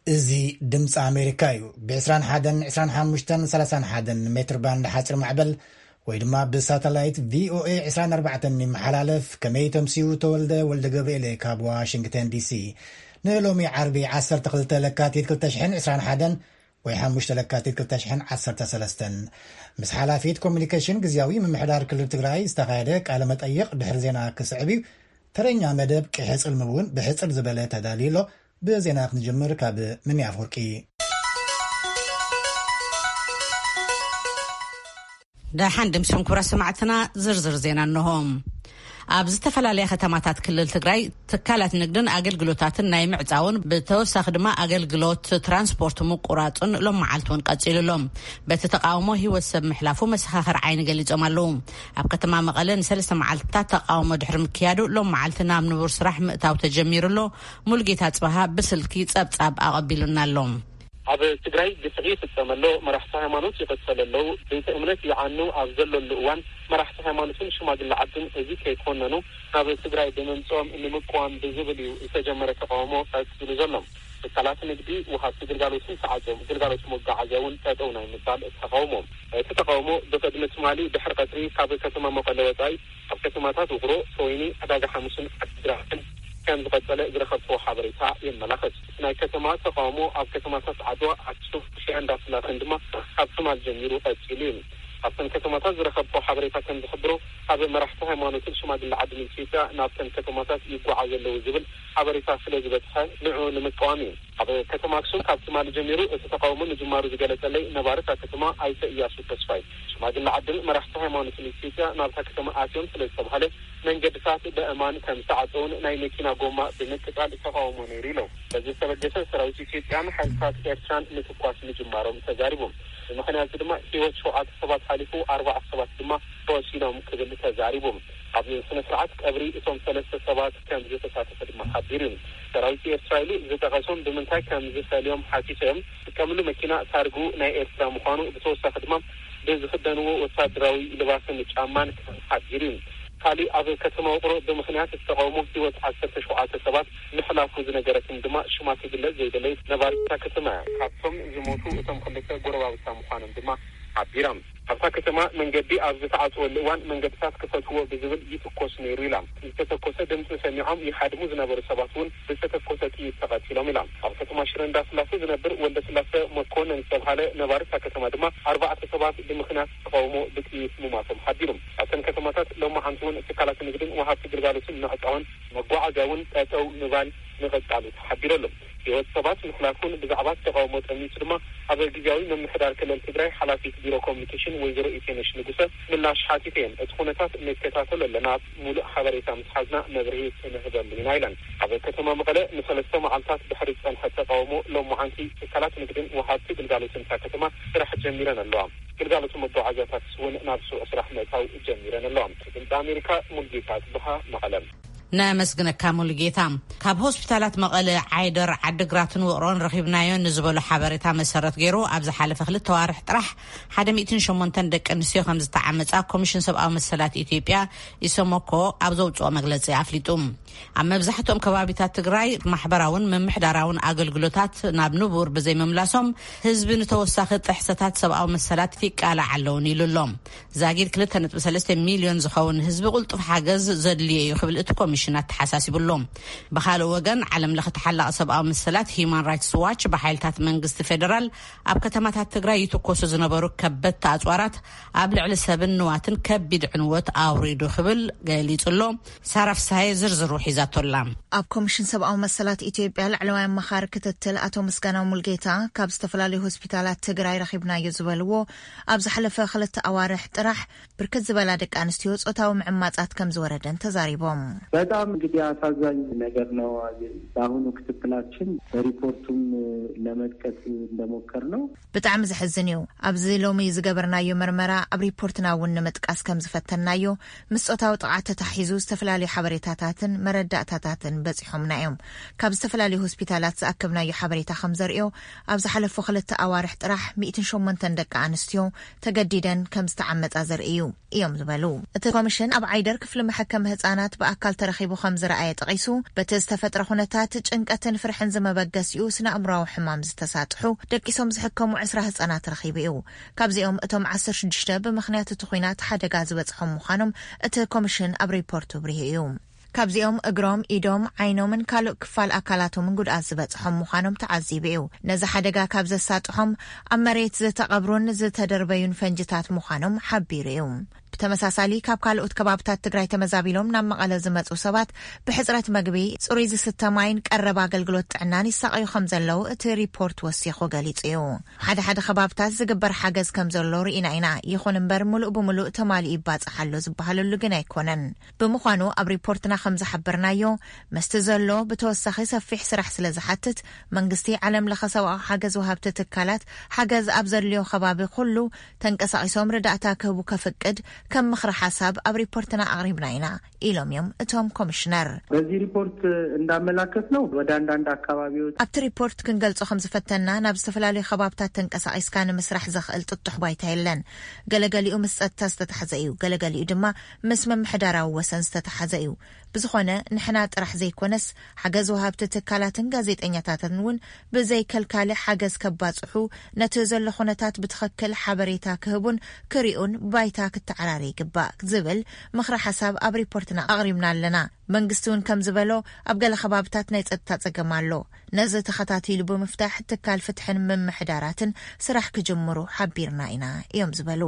እዚ ድምፂ ኣሜሪካ እዩ። ብ ዕስራን ሓደን፣ ዕስራን ሓሙሽተን፣ ሰላሳን ሓደን ሜትር ባንድ ሓፂር ማዕበል ወይ ድማ ብሳተላይት ቪኦኤ ዕስራን ኣርባዕተን ይመሓላለፍ። ከመይ ተምስዩ? ተወልደ ወልደ ገብርኤል ካብ ዋሽንግተን ዲሲ። ንሎሚ ዓርቢ ዓሰርተ ክልተ ለካቲት ክልተ ሽሕን ዕስራን ሓደን ወይ ሓሙሽተ ለካቲት ክልተ ሽሕን ዓሰርተ ሰለስተን ምስ ሓላፊት ኮሚኒኬሽን ግዝያዊ ምምሕዳር ክልል ትግራይ ዝተኻየደ ቃለ መጠይቕ ድሕሪ ዜና ክስዕብ እዩ። ተረኛ መደብ ቂሐ ጽልሚ እውን ብሕጽር ዝበለ ተዳልዩ ኣሎ። ብዜና ክንጅምር ካብ ምንያ ኣፍወርቂ። ደሓን ድምስም ክብራ ሰማዕትና ዝርዝር ዜና እንሆ። ኣብ ዝተፈላለያ ከተማታት ክልል ትግራይ ትካላት ንግድን ኣገልግሎታትን ናይ ምዕጻውን ብተወሳኺ ድማ ኣገልግሎት ትራንስፖርት ምቁራጹን ሎም መዓልቲ እውን ቀጺሉ ኣሎ። በቲ ተቃውሞ ህይወት ሰብ ምሕላፉ መሰኻኽር ዓይኒ ገሊጾም ኣለዉ። ኣብ ከተማ መቐለ ንሰለስተ መዓልትታት ተቃውሞ ድሕሪ ምክያዱ ሎም መዓልቲ ናብ ንቡር ስራሕ ምእታው ተጀሚሩ ኣሎ። ሙሉጌታ ጽባሃ ብስልኪ ጸብጻብ ኣቐቢሉና ኣሎ። ኣብ ትግራይ ግፍዒ ይፍጸም ኣሎ፣ መራሕቲ ሃይማኖት ይቕተሉ ኣለዉ፣ ቤተ እምነት ይዓኑ ኣብ ዘለሉ እዋን መራሕቲ ሃይማኖትን ሽማግለ ዓድን እዚ ከይኮነኑ ናብ ትግራይ ብምምፅኦም ንምቅዋም ብዝብል እዩ ዝተጀመረ ተቃውሞ ቀፂሉ ዘሎ። ትካላት ንግዲ፣ ወሃብቲ ግልጋሎትን ተዓፅዮም፣ ግልጋሎት መጓዓዝያ እውን ጠጠው ናይ ምባል ተቃውሞ። እቲ ተቃውሞ ብቅድሚ ትማሊ ድሕሪ ቀትሪ ካብ ከተማ መቐለ ወፃኢ ኣብ ከተማታት ውቅሮ፣ ተወይኒ፣ ዕዳጋ ሓሙስን ዓዲግራትን ከም ዝቐጸለ ዝረኸብክዎ ሓበሬታ የመላኽት። ናይ ከተማ ተቃውሞ ኣብ ከተማታት ዓድዋ፣ ኣክሱም፣ ሽረ እንዳስላሰን ድማ ካብ ትማል ጀሚሩ ቀጺሉ እዩ። ካብተን ከተማታት ዝረኸብክዎ ሓበሬታ ከም ዝሕብሮ፣ ካብ መራሕቲ ሃይማኖትን ሽማግለ ዓድን ኢትዮጵያ ናብተን ከተማታት ይጓዓዙ ኣለዉ ዝብል ሓበሬታ ስለ ዝበጽሐ ንዕኡ ንምቅዋም እዩ። ኣብ ከተማ ኣክሱም ካብ ትማሊ ጀሚሩ እቲ ተቃውሞ ምጅማሩ ዝገለጸለይ ነባሪ እታ ከተማ ኣይተ እያሱ ተስፋይ፣ ሽማግለ ዓድን መራሕቲ ሃይማኖትን ኢትዮጵያ ናብታ ከተማ ኣትዮም ስለ ዝተባህለ መንገድታት በእማን ከም ዝተዓጸውን ናይ መኪና ጎማ ብምቅጻል ተቃውሞ ነይሩ ኢሎም። በዚ ዝተበገሰ ሰራዊት ኢትዮጵያን ሓይልታት ኤርትራን ምትኳስ ምጅማሮም ተዛሪቦም። ብምኽንያት ድማ ህይወት ሸውዓተ ሰባት ሓሊፉ፣ ኣርባዕተ ሰባት ድማ ቆሲሎም ክብል ተዛሪቦም። ኣብ ስነ ስርዓት ቀብሪ እቶም ሰለስተ ሰባት ከም ዝተሳተፈ ድማ ሓቢሩ እዩ። ሰራዊት ኤርትራ ኢሉ ዝጠቐሶም ብምንታይ ከም ዝፈልዮም ሓቲቶም። ዝጥቀምሉ መኪና ታርጉ ናይ ኤርትራ ምዃኑ፣ ብተወሳኺ ድማ ብዝኽደንዎ ወታደራዊ ልባስን ጫማን ከም ሓቢሩ እዩ። ካሊእ ኣብ ከተማ ውቕሮ ብምኽንያት እቲ ተቃውሞ ህይወት ዓሰርተ ሸውዓተ ሰባት ምሕላፉ ዝነገረትን ድማ ሽማ ክግለጽ ዘይደለየት ነባሪት እታ ከተማ እያ። ካብቶም ዝሞቱ እቶም ክልተ ጎረባብታ ምዃኖም ድማ ሓቢራ። ኣብታ ከተማ መንገዲ ኣብ ዝተዓጽወሉ እዋን መንገድታት ክፈትዎ ብዝብል ይትኮስ ነይሩ ኢላ። ዝተተኮሰ ድምፂ ሰሚዖም ይሃድሙ ዝነበሩ ሰባት እውን ብዝተተኮሰ ጥይት ተቐቲሎም ኢላ። ኣብ ከተማ ሽረ እንዳስላሴ ዝነብር ወልደ ስላሰ መኮነን ዝተብሃለ ነባሪ እታ ከተማ ድማ ኣርባዕተ ሰባት ብምኽንያት ተቃውሞ ብጥይት ምሟቶም ሓቢሩ። ኣብተን ከተማታት ሎማዓንቲ እውን ትካላት ንግድን ወሃብቲ ግልጋሎትን ምዕጻውን መጓዓዝያ እውን ጠጠው ምባል ምቕጻሉ ተሓቢሩ ኣሎ። ህይወት ሰባት ምሕላፉን ብዛዕባ ተቃውሞ ጠሚቱ ድማ ኣብ ግዝያዊ ምምሕዳር ክልል ትግራይ ሓላፊት ቢሮ ኮሚኒኬሽን ወይዘሮ ኢቴነሽ ንጉሰ ምላሽ ሓቲተ እየን። እቲ ኩነታት ንከታተሎ ኣለና፣ ሙሉእ ሓበሬታ ምስ ሓዝና መብርሂ ክንህበሉ ኢና ኢለን። ኣብ ከተማ መቐለ ንሰለስተ መዓልታት ድሕሪ ዝጸንሐ ተቃውሞ ሎማዓንቲ ትካላት ንግድን ወሃብቲ ግልጋሎትን እታ ከተማ ስራሕ ጀሚረን ኣለዋ። ግልጋሎት መጓዓዝያታት እውን ናብ ስሩዕ ስራሕ ምእታው ጀሚረን ኣለዋ። ድምፂ ኣሜሪካ ሙልጌታ ጽብሃ መቐለ። ነመስግነካ ሙሉጌታ። ካብ ሆስፒታላት መቐለ፣ ዓይደር፣ ዓድግራትን ውቕሮን ረኺብናዮ ንዝበሎ ሓበሬታ መሰረት ገይሩ ኣብ ዝሓለፈ ክልተ ዋርሕ ጥራሕ ሓደ ሚእትን ሸሞንተን ደቂ ኣንስትዮ ከም ዝተዓመጻ ኮሚሽን ሰብኣዊ መሰላት ኢትዮጵያ፣ ኢሰመኮ፣ ኣብ ዘውፅኦ መግለፂ ኣፍሊጡ። ኣብ መብዛሕትኦም ከባቢታት ትግራይ ማሕበራውን ምምሕዳራውን ኣገልግሎታት ናብ ንቡር ብዘይምምላሶም ህዝቢ ንተወሳኺ ጥሕሰታት ሰብኣዊ መሰላት ይቃላዕ ኣለውን ኢሉ ኣሎ። ዛጊድ ክልተ ነጥቢ ሰለስተ ሚልዮን ዝኸውን ህዝቢ ቁልጡፍ ሓገዝ ዘድልዮ እዩ ክብል እቲ ኮሚሽን ኣተሓሳሲቡ ኣሎ። ብኻልእ ወገን፣ ዓለም ለኸ ተሓላቒ ሰብኣዊ መሰላት ሂዩማን ራይትስ ዋች ብሓይልታት መንግስቲ ፌደራል ኣብ ከተማታት ትግራይ ይትኮሱ ዝነበሩ ከበድቲ ኣፅዋራት ኣብ ልዕሊ ሰብን ንዋትን ከቢድ ዕንወት ኣውሪዱ ክብል ገሊጹ ኣሎ። ሳራ ፍስሃየ ዝርዝሩ ሒዛቶ ኣላ። ኣብ ኮሚሽን ሰብኣዊ መሰላት ኢትዮጵያ ላዕለዋይ ኣማኻሪ ክትትል ኣቶ ምስጋናው ሙልጌታ፣ ካብ ዝተፈላለዩ ሆስፒታላት ትግራይ ረኺብናዮ ዝበልዎ ኣብ ዝሓለፈ ክልተ ኣዋርሕ ጥራሕ ብርክት ዝበላ ደቂ ኣንስትዮ ጾታዊ ምዕማጻት ከም ዝወረደን ተዛሪቦም። በጣም እንግዲህ አሳዛኝ ነገር ነው። በአሁኑ ክትትላችን በሪፖርቱም ለመጥቀስ እንደሞከር ነው። ብጣዕሚ ዘሕዝን እዩ። ኣብዚ ሎሚ ዝገበርናዮ መርመራ፣ ኣብ ሪፖርትና እውን ንምጥቃስ ከም ዝፈተንናዮ፣ ምስ ጾታዊ ጥቕዓት ተታሒዙ ዝተፈላለዩ ሓበሬታታትን መረዳእታታትን በጺሖምና እዮም። ካብ ዝተፈላለዩ ሆስፒታላት ዝኣከብናዮ ሓበሬታ ከም ዘርእዮ፣ ኣብ ዝሓለፉ ክልተ ኣዋርሕ ጥራሕ ሚእትን ሸሞንተን ደቂ ኣንስትዮ ተገዲደን ከም ዝተዓመጻ ዘርኢ እዩ እዮም ዝበሉ። እቲ ኮሚሽን ኣብ ዓይደር ክፍሊ መሐከሚ ህጻናት ብኣካል ተረኺቡ ረኺቡ ከም ዝረኣየ ጠቒሱ፣ በቲ ዝተፈጥረ ኩነታት ጭንቀትን ፍርሕን ዝመበገሲኡ ስነ ኣእምሮዊ ሕማም ዝተሳጥሑ ደቂሶም ዝሕከሙ ዕስራ ህጻናት ረኺቡ እዩ። ካብዚኦም እቶም ዓሰርተ ሽዱሽተ ብምኽንያት እቲ ኲናት ሓደጋ ዝበጽሖም ምዃኖም እቲ ኮሚሽን ኣብ ሪፖርቱ ብሪሁ እዩ። ካብዚኦም እግሮም፣ ኢዶም፣ ዓይኖምን ካልእ ክፋል ኣካላቶምን ጉድኣት ዝበጽሖም ምዃኖም ተዓዚቡ እዩ። ነዚ ሓደጋ ካብ ዘሳጥሖም ኣብ መሬት ዝተቐብሩን ዝተደርበዩን ፈንጅታት ምዃኖም ሓቢሩ እዩ። ብተመሳሳሊ ካብ ካልኦት ከባብታት ትግራይ ተመዛቢሎም ናብ መቐለ ዝመጹ ሰባት ብሕጽረት መግቢ፣ ጽሩይ ዝስተ ማይን ቀረብ ኣገልግሎት ጥዕናን ይሳቐዩ ከም ዘለዉ እቲ ሪፖርት ወሲኹ ገሊጹ እዩ። ሓደ ሓደ ከባብታት ዝግበር ሓገዝ ከም ዘሎ ርኢና ኢና። ይኹን እምበር፣ ምሉእ ብምሉእ ተማሊኡ ይባጻሕ ኣሎ ዝበሃለሉ ግን ኣይኮነን። ብምዃኑ፣ ኣብ ሪፖርትና ከም ዝሓበርናዮ፣ መስቲ ዘሎ ብተወሳኺ ሰፊሕ ስራሕ ስለ ዝሓትት፣ መንግስቲ፣ ዓለም ለኸ ሰብኣዊ ሓገዝ ወሃብቲ ትካላት፣ ሓገዝ ኣብ ዘድልዮ ከባቢ ኩሉ ተንቀሳቒሶም ርዳእታ ክህቡ ከፍቅድ ከም ምኽሪ ሓሳብ ኣብ ሪፖርትና ኣቕሪብና ኢና ኢሎም እዮም እቶም ኮሚሽነር። በዚህ ሪፖርት እንዳመላከት ነው ወደ አንዳንድ አካባቢዎች። ኣብቲ ሪፖርት ክንገልጾ ከም ዝፈተና፣ ናብ ዝተፈላለዩ ከባብታት ተንቀሳቒስካ ንምስራሕ ዘኽእል ጥጡሕ ባይታ የለን። ገለገሊኡ ምስ ጸጥታ ዝተታሕዘ እዩ፣ ገለገሊኡ ድማ ምስ ምምሕዳራዊ ወሰን ዝተታሕዘ እዩ። ብዝኾነ፣ ንሕና ጥራሕ ዘይኮነስ፣ ሓገዝ ወሃብቲ ትካላትን ጋዜጠኛታትን እውን ብዘይከልካሊ ሓገዝ ከባጽሑ፣ ነቲ ዘሎ ኩነታት ብትኽክል ሓበሬታ ክህቡን ክሪኡን ባይታ ክተዓራሪ ይግባእ ዝብል ምኽሪ ሓሳብ ኣብ ሪፖርትና ኣቕሪብና ኣለና። መንግስቲ እውን ከም ዝበሎ፣ ኣብ ገለ ከባብታት ናይ ጸጥታ ጸገም ኣሎ። ነዚ ተኸታቲሉ ብምፍታሕ፣ ትካል ፍትሕን ምምሕዳራትን ስራሕ ክጅምሩ ሓቢርና ኢና እዮም ዝበሉ።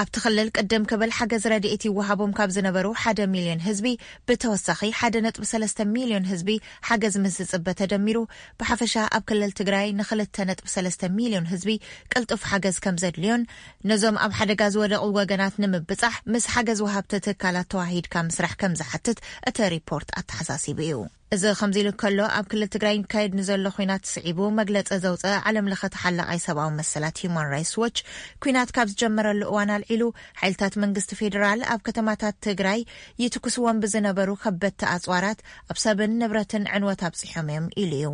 ኣብቲ ክልል ቅድም ክብል ሓገዝ ረድኤት ይወሃቦም ካብ ዝነበሩ ሓደ ሚልዮን ህዝቢ ብተወሳኺ ሓደ ነጥቢ ሰለስተ ሚልዮን ህዝቢ ሓገዝ ምስ ዝጽበ ተደሚሩ፣ ብሓፈሻ ኣብ ክልል ትግራይ ንክልተ ነጥቢ ሰለስተ ሚልዮን ህዝቢ ቅልጡፍ ሓገዝ ከም ዘድልዮን፣ ነዞም ኣብ ሓደጋ ዝወደቑ ወገናት ንምብጻሕ ምስ ሓገዝ ወሃብቲ ትካላት ተዋሂድካ ምስራሕ ከም ዝሓትት እቲ ሪፖርት ኣተሓሳሲቡ እዩ። እዚ ከምዚ ኢሉ ከሎ፣ ኣብ ክልል ትግራይ ይካየድ ንዘሎ ኲናት ስዒቡ መግለጺ ዘውፀአ ዓለም ለኸ ተሓላቓይ ሰብኣዊ መሰላት ሂዩማን ራይትስ ዎች፣ ኲናት ካብ ዝጀመረሉ እዋን ኣልዒሉ፣ ሓይልታት መንግስቲ ፌዴራል ኣብ ከተማታት ትግራይ ይትኩስዎም ብዝነበሩ ከበድቲ ኣፅዋራት ኣብ ሰብን ንብረትን ዕንወት ኣብፂሖም እዮም ኢሉ እዩ።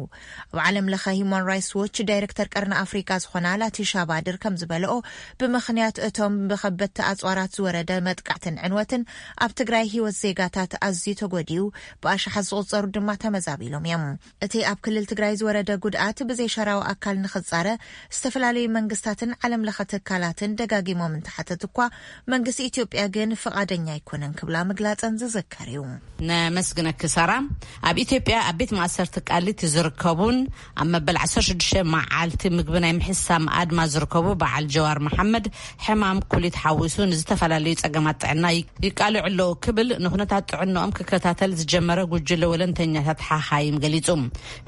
ኣብ ዓለም ለኸ ሂዩማን ራይትስ ዎች ዳይሬክተር ቀርኒ ኣፍሪካ ዝኾና ላቲሻ ባድር ከም ዝበለኦ፣ ብምኽንያት እቶም ብከበድቲ ኣፅዋራት ዝወረደ መጥቃዕትን ዕንወትን ኣብ ትግራይ ህይወት ዜጋታት ኣዝዩ ተጎዲኡ፣ ብኣሽሓት ዝቑጸሩ ድማ ተመዛቢሎም እዮም። እቲ ኣብ ክልል ትግራይ ዝወረደ ጉድኣት ብዘይሸራዊ ኣካል ንኽጻረ ዝተፈላለዩ መንግስታትን ዓለም ለኸ ትካላትን ደጋጊሞም እንተሓተቱ እኳ፣ መንግስቲ ኢትዮጵያ ግን ፍቓደኛ ኣይኮነን ክብላ ምግላጸን ዝዝከር እዩ። ነመስግነኪ ሳራ። ኣብ ኢትዮጵያ ኣብ ቤት ማእሰርቲ ቃሊቲ ዝርከቡን ኣብ መበል ዓሰርተ ሽዱሽተ መዓልቲ ምግቢ ናይ ምሕሳም ኣድማ ዝርከቡ በዓል ጀዋር መሓመድ፣ ሕማም ኩሊት ሓዊሱ ንዝተፈላለዩ ጸገማት ጥዕና ይ-፣ ይቃልዑ ኣለዉ ክብል ንኩነታት ጥዕንኦም ክከታተል ዝጀመረ ጉጅለ ወለንተኛታት ሓኻይም ገሊጹ።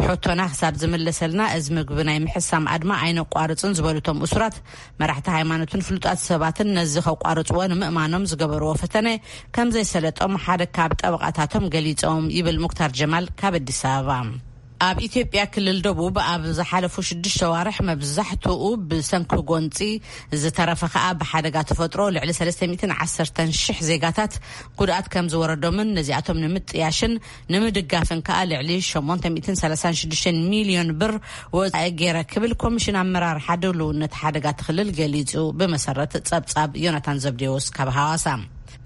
ሕቶና ክሳብ ዝምለሰልና፣ እዚ ምግቢ ናይ ምሕሳም ኣድማ ኣይነቋርጽን ዝበሉ እቶም እሱራት፣ መራሕቲ ሃይማኖትን ፍሉጣት ሰባትን ነዚ ከቋርጽዎ ንምእማኖም ዝገበርዎ ፈተነ ከም ዘይሰለጦም ሓደ ካብ ጠበቓታቶም ገሊጾም፣ ይብል ሙክታር ጀማል ካብ ኣዲስ ኣበባ። ኣብ ኢትዮጵያ ክልል ደቡብ ኣብ ዝሓለፉ ሽዱሽተ ኣዋርሕ፣ መብዛሕትኡ ብሰንኪ ጎንጺ፣ ዝተረፈ ከኣ ብሓደጋ ተፈጥሮ፣ ልዕሊ ሰለስተ ሚእትን ዓሰርተን ሽሕ ዜጋታት ጉድኣት ከም ዝወረዶምን ነዚኣቶም ንምጥያሽን ንምድጋፍን ከኣ ልዕሊ ሸሞንተ ሚእትን ሰላሳን ሽዱሽተን ሚልዮን ብር ወጻኢ ገይረ ክብል ኮሚሽን ኣመራርሓ ድልውነት ሓደጋታት ክልል ገሊጹ፣ ብመሰረት ጸብጻብ ዮናታን ዘብዴዎስ ካብ ሃዋሳ።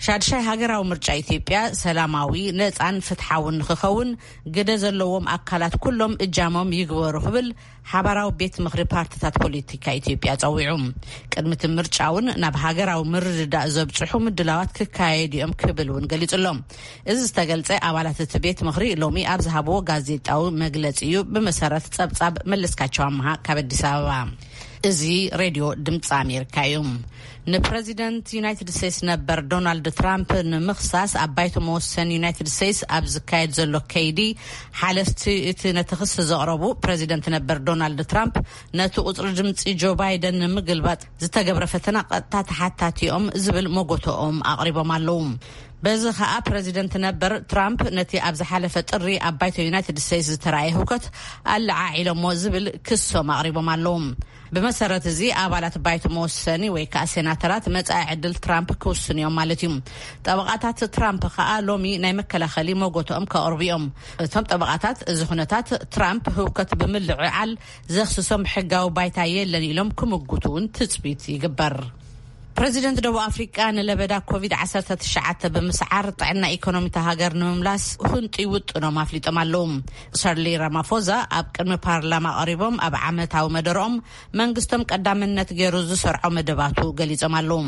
ሻድሻይ ሃገራዊ ምርጫ ኢትዮጵያ ሰላማዊ፣ ነጻን ፍትሓውን ንክኸውን፣ ግደ ዘለዎም ኣካላት ኩሎም እጃሞም ይግበሩ ክብል ሓባራዊ ቤት ምኽሪ ፓርቲታት ፖለቲካ ኢትዮጵያ ጸዊዑ። ቅድሚ እቲ ምርጫ እውን ናብ ሃገራዊ ምርድዳእ ዘብጽሑ ምድላዋት ክካየዱ እዮም ክብል እውን ገሊጹ ኣሎ። እዚ ዝተገልጸ፣ ኣባላት እቲ ቤት ምኽሪ ሎሚ ኣብ ዝሃብዎ ጋዜጣዊ መግለጺ እዩ፣ ብመሰረት ጸብጻብ መለስካቸው ኣምሃ ካብ ኣዲስ ኣበባ። እዚ ሬድዮ ድምፂ ኣሜሪካ እዩ። ንፕረዚደንት ዩናይትድ ስቴትስ ነበር ዶናልድ ትራምፕ ንምኽሳስ ኣብ ባይቶ መወሰኒ ዩናይትድ ስቴትስ ኣብ ዝካየድ ዘሎ ከይዲ፣ ሓለፍቲ እቲ ነቲ ክሲ ዘቕረቡ ፕረዚደንት ነበር ዶናልድ ትራምፕ፣ ነቲ ቁፅሪ ድምፂ ጆ ባይደን ንምግልባጥ ዝተገብረ ፈተና ቀጥታ ተሓታቲ እዮም ዝብል መጎተኦም ኣቕሪቦም ኣለዉ። በዚ ኸኣ ፕረዚደንት ነበር ትራምፕ ነቲ ኣብ ዝሓለፈ ጥሪ ኣብ ባይቶ ዩናይትድ ስቴትስ ዝተራእየ ህውከት ኣለዓዒሎሞ ዝብል ክሶም ኣቕሪቦም ኣለዉ። ብመሰረት እዚ፣ ኣባላት ባይቶ መወሰኒ ወይ ከኣ ሴናተራት መጻኢ ዕድል ትራምፕ ክውስኑ እዮም ማለት እዩ። ጠበቓታት ትራምፕ ከኣ ሎሚ ናይ መከላኸሊ መጎተኦም ከቕርቡ እዮም። እቶም ጠበቓታት፣ እዚ ኩነታት ትራምፕ ህውከት ብምልዕዓል ዘኽስሶም ሕጋዊ ባይታ የለን ኢሎም ክምጉቱ እውን ትጽቢት ይግበር። ፕረዚደንት ደቡብ ኣፍሪቃ ንለበዳ ኮቪድ ዓሰርተ ትሽዓተ ብምስዓር ጥዕና ኢኮኖሚ እታ ሃገር ንምምላስ ህንጡይ ውጥኖም ኣፍሊጦም ኣለዉ። ሰርሊ ራማፎዛ ኣብ ቅድሚ ፓርላማ ቀሪቦም ኣብ ዓመታዊ መደርኦም መንግስቶም ቀዳምነት ገይሩ ዝሰርዖ መደባቱ ገሊጾም ኣለዉ።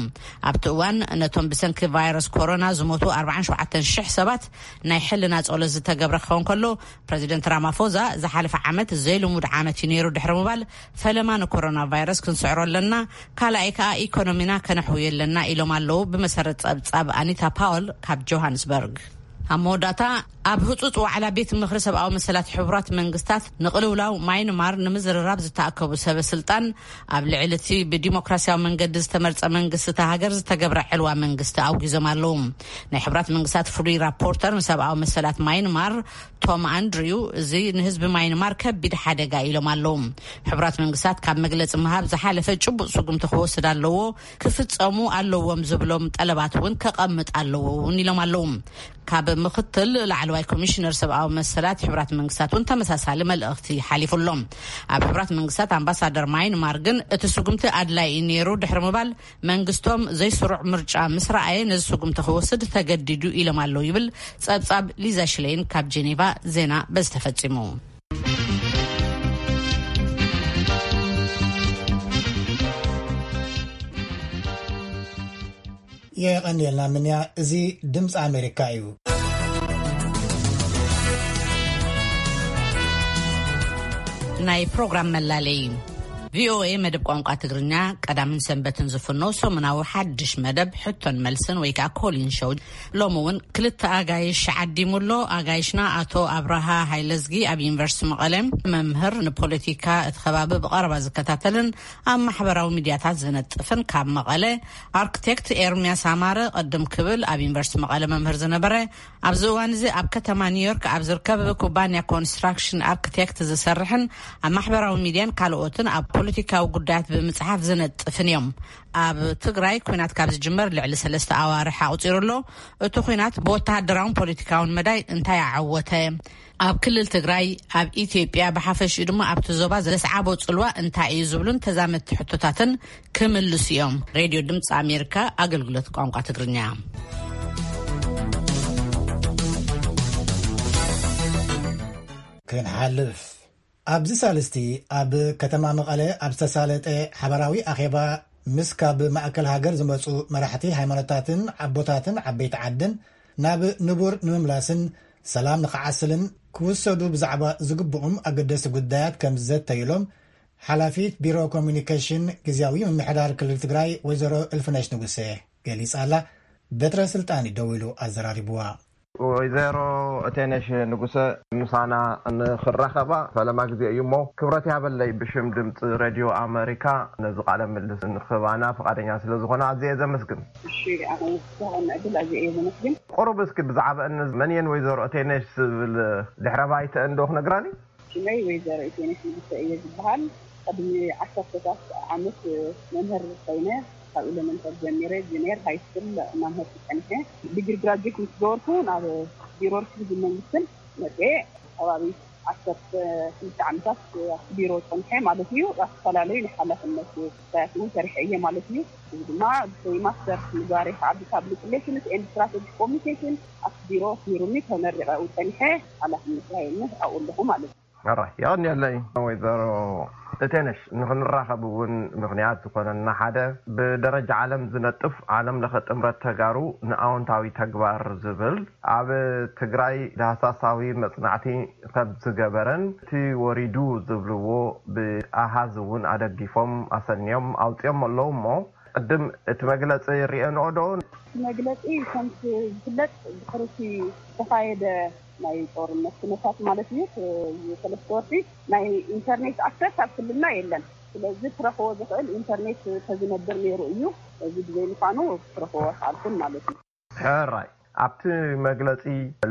ኣብቲ እዋን ነቶም ብሰንኪ ቫይረስ ኮሮና ዝሞቱ ኣርባዓን ሸውዓተን ሽሕ ሰባት ናይ ሕልና ጸሎት ዝተገብረ ክኸውን ከሎ፣ ፕረዚደንት ራማፎዛ ዝሓለፈ ዓመት ዘይልሙድ ዓመት እዩ ነይሩ ድሕሪ ምባል፣ ፈለማ ንኮሮና ቫይረስ ክንስዕሮ ኣለና፣ ካልኣይ ከኣ ኢኮኖሚና ከነሕውዮ ኣለና ኢሎም ኣለዉ። ብመሰረት ጸብጻብ ኣኒታ ፓወል ካብ ጆሃንስበርግ። ኣብ መወዳእታ፣ ኣብ ህጹጽ ዋዕላ ቤት ምኽሪ ሰብኣዊ መሰላት ሕቡራት መንግስታት ንቕልውላው ማይንማር ንምዝርራብ ዝተኣከቡ ሰበ ስልጣን ኣብ ልዕሊ እቲ ብዲሞክራሲያዊ መንገዲ ዝተመርጸ መንግስቲ እታ ሃገር ዝተገብረ ዕልዋ መንግስቲ ኣውጊዞም ኣለዉ። ናይ ሕቡራት መንግስታት ፍሉይ ራፖርተር ንሰብኣዊ መሰላት ማይንማር ቶም ኣንድሪው፣ እዚ ንህዝቢ ማይንማር ከቢድ ሓደጋ ኢሎም ኣለዉ። ሕቡራት መንግስታት ካብ መግለጺ ምሃብ ዝሓለፈ ጭቡጥ ስጉምቲ ክወስድ ኣለዎ፣ ክፍጸሙ ኣለዎም ዝብሎም ጠለባት እውን ከቐምጥ ኣለዎ እውን ኢሎም ኣለዉ። ካብ ምኽትል ላዕለዋይ ኮሚሽነር ሰብኣዊ መሰላት ሕቡራት መንግስታት እውን ተመሳሳሊ መልእኽቲ ሓሊፉ ኣሎ። ኣብ ሕቡራት መንግስታት ኣምባሳደር ማይንማር ግን እቲ ስጉምቲ ኣድላይ እዩ ነይሩ ድሕሪ ምባል፣ መንግስቶም ዘይስሩዕ ምርጫ ምስ ረኣየ ነዚ ስጉምቲ ክወስድ ተገዲዱ ኢሎም ኣለዉ ይብል ጸብጻብ ሊዛ ሽሌን ካብ ጄኔቫ። ዜና በዚ ተፈጺሙ። የቐንየልና ምንያ። እዚ ድምፂ ኣሜሪካ እዩ። ናይ ፕሮግራም መላለይ። ቪኦኤ መደብ ቋንቋ ትግርኛ ቀዳምን ሰንበትን ዝፍኖ ሰሙናዊ ሓድሽ መደብ ሕቶን መልስን ወይ ከዓ ኮሊን ሾው ሎሚ እውን ክልተ ኣጋይሽ ዓዲሙ ኣሎ። ኣጋይሽና ኣቶ ኣብርሃ ሃይለዝጊ ኣብ ዩኒቨርሲቲ መቐለ መምህር፣ ንፖለቲካ እቲ ከባቢ ብቐረባ ዝከታተልን ኣብ ማሕበራዊ ሚድያታት ዝነጥፍን ካብ መቐለ፣ ኣርክቴክት ኤርሚያስ ኣማረ ቅድም ክብል ኣብ ዩኒቨርሲቲ መቐለ መምህር ዝነበረ፣ ኣብዚ እዋን እዚ ኣብ ከተማ ኒውዮርክ ኣብ ዝርከብ ኩባንያ ኮንስትራክሽን ኣርክቴክት ዝሰርሕን ኣብ ማሕበራዊ ሚድያን ካልኦትን ኣብ ፖለቲካዊ ጉዳያት ብምፅሓፍ ዝነጥፍን እዮም። ኣብ ትግራይ ኲናት ካብ ዝጅመር ልዕሊ ሰለስተ ኣዋርሕ ኣቑፂሩ ኣሎ። እቲ ኲናት ብወተሃደራውን ፖለቲካውን መዳይ እንታይ ኣዓወተ? ኣብ ክልል ትግራይ፣ ኣብ ኢትዮጵያ ብሓፈሽኡ ድማ ኣብቲ ዞባ ዘስዓቦ ጽልዋ እንታይ እዩ ዝብሉን ተዛመድቲ ሕቶታትን ክምልሱ እዮም። ሬድዮ ድምፂ ኣሜሪካ ኣገልግሎት ቋንቋ ትግርኛ። ክንሓልፍ ኣብዚ ሳልስቲ ኣብ ከተማ መቐለ ኣብ ዝተሳለጠ ሓበራዊ ኣኼባ ምስ ካብ ማእከል ሃገር ዝመጹ መራሕቲ ሃይማኖታትን ኣቦታትን ዓበይቲ ዓድን ናብ ንቡር ንምምላስን ሰላም ንኽዓስልን ክውሰዱ ብዛዕባ ዝግብኡም ኣገደስቲ ጉዳያት ከም ዝዘተዩሎም ሓላፊት ቢሮ ኮሚኒኬሽን ግዝያዊ ምምሕዳር ክልል ትግራይ ወይዘሮ እልፍነሽ ንጉሴ ገሊጻ ኣላ። በትረ ስልጣን እዩ ደዊሉ ኣዘራሪብዋ። ወይዘሮ እቴነሽ ንጉሰ ምሳና ንኽራኸባ ፈለማ ግዜ እዩ እሞ ክብረት ያበለይ ብሽም ድምፂ ሬድዮ ኣመሪካ ነዚ ቃለ ምልልስ ንኽባና ፍቓደኛ ስለ ዝኾነ ኣዝየ እየ ዘመስግን። እሺ፣ ኣነ እውን ብዝተዋሃበኒ ዕድል ኣዝየ እየ ዘመስግን። ቁሩብ እስኪ ብዛዕባ እነዚ መን እየን ወይዘሮ እቴነሽ ዝብል ድሕረ ባይተአን ዶ ክነግራኒ? ሽመይ ወይዘሮ ኢቴነሽ ንጉሰ እየ ዝበሃል። ቅድሚ ዓሰርተታት ዓመት መምህር ኮይነ ካብ ኤለመንተሪ ጀሚረ ጁኒየር ሃይ ስኩል መምህር ጸኒሐ። ዲግሪ ግራጁዌት ምስ ገበርኩ ናብ ቢሮ ርክብን መንግስትን መጽኤ። ከባቢ ዓሰርተ ክልተ ዓመታት ኣብቲ ቢሮ ጸኒሐ ማለት እዩ። ኣብ ዝተፈላለዩ ናይ ሓላፍነት ጉዳያት እውን ሰሪሐ እየ ማለት እዩ። እዚ ድማ ብፍሪማስተር ምግባር ይከዓል። ፐብሊክ ሪሌሽንስ ኤንድ ስትራቴጂክ ኮሚኒኬሽን ኣብቲ ቢሮ ኣስሚሩኒ ተመሪቐ ኣብኡ ጸኒሐ ሓላፍነት ተዋሂቡኒ ኣብኡ ኣለኹ ማለት እዩ። ኣራይ የቐንየለይ። ወይዘሮ እቴነሽ፣ ንኽንራኸብ እውን ምኽንያት ዝኾነና ሓደ ብደረጃ ዓለም ዝነጥፍ ዓለም ለኸ ጥምረት ተጋሩ ንኣወንታዊ ተግባር ዝብል ኣብ ትግራይ ዳህሳሳዊ መጽናዕቲ ከም ዝገበረን እቲ ወሪዱ ዝብልዎ ብኣሃዝ እውን ኣደጊፎም ኣሰንዮም ኣውፅኦም ኣለዉ እሞ ቅድም እቲ መግለፂ ርእየንኦ ዶ? እቲ መግለፂ ከምቲ ዝፍለጥ ድሕሪ እቲ ዝተኻየደ ናይ ጦርነት ኩነታት ማለት እዩ፣ ሰለስተ ወርሒ ናይ ኢንተርኔት ኣክሰስ ኣብ ክልልና የለን። ስለዚ ክረኽቦ ዝኽእል ኢንተርኔት ተዝነብር ነይሩ እዩ። እዚ ብዘይ ምዃኑ ክረኽቦ ኣይከኣልኩን ማለት እዩ። ሕራይ ኣብቲ መግለጺ